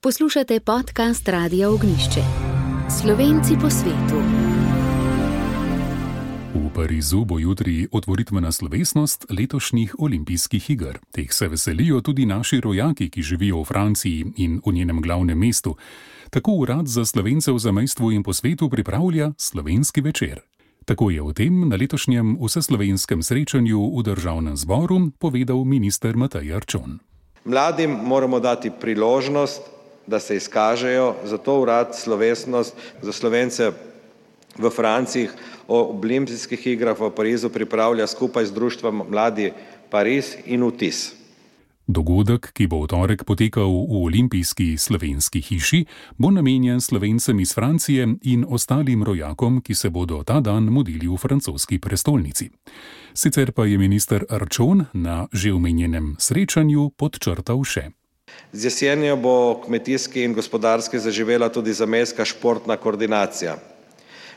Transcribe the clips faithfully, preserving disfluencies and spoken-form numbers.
Poslušate podcast Radia Ognjišče. Slovenci po svetu. V Parizu bo jutri otvoritvena slovesnost letošnjih olimpijskih iger. Teh se veselijo tudi naši rojaki, ki živijo v Franciji in v njenem glavnem mestu. Tako Urad za Slovence v zamejstvu in po svetu pripravlja slovenski večer. Tako je o tem na letošnjem vseslovenskem srečanju v državnem zboru povedal minister Matej Arčon. Mladim moramo dati priložnost, da se izkažejo, zato Urad slovesnost za Slovence v Franciji o olimpijskih igrah v Parizu pripravlja skupaj z društvom Mladi Pariz in Vtis. Dogodek, ki bo v torek potekal v olimpijski slovenski hiši, bo namenjen Slovencem iz Francije in ostalim rojakom, ki se bodo ta dan mudili v francoski prestolnici. Sicer pa je minister Arčon na že omenjenem srečanju podčrtal še. Z jesenjo bo kmetijski in gospodarski zaživela tudi zamejska športna koordinacija.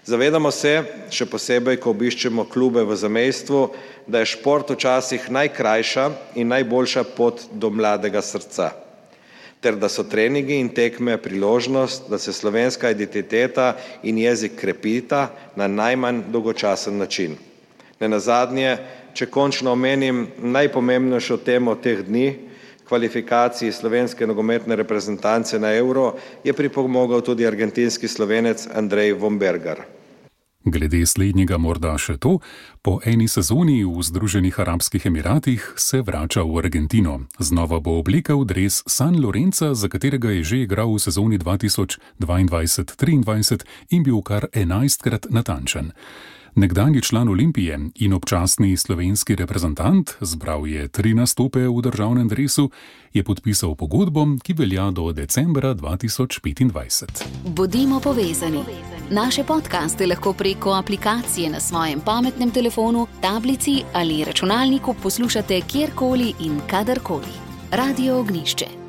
Zavedamo se, še posebej, ko obiščemo klube v zamejstvu, da je šport včasih najkrajša in najboljša pot do mladega srca, ter da so treningi in tekme priložnost, da se slovenska identiteta in jezik krepita na najmanj dolgočasen način. Nenazadnje, če končno omenim najpomembnejšo temo teh dni, kvalifikaciji slovenske nogometne reprezentance na Euro, je pripomogel tudi argentinski Slovenec Andrej Vombergar. Glede slednjega morda še to, po eni sezoni v Združenih arabskih emiratih se vrača v Argentino. Znova bo oblekel dres San Lorenza, za katerega je že igral v sezoni dva tisoč dvaindvajset triindvajset in bil kar enajstkrat natančen. Nekdanji član Olimpije in občasni slovenski reprezentant, zbral je tri nastope v državnem dresu, je podpisal pogodbo, ki velja do decembra dva tisoč petindvajset. Bodimo povezani. Naše podcaste lahko preko aplikacije na svojem pametnem telefonu, tablici ali računalniku poslušate kjerkoli in kadarkoli. Radio Ognjišče.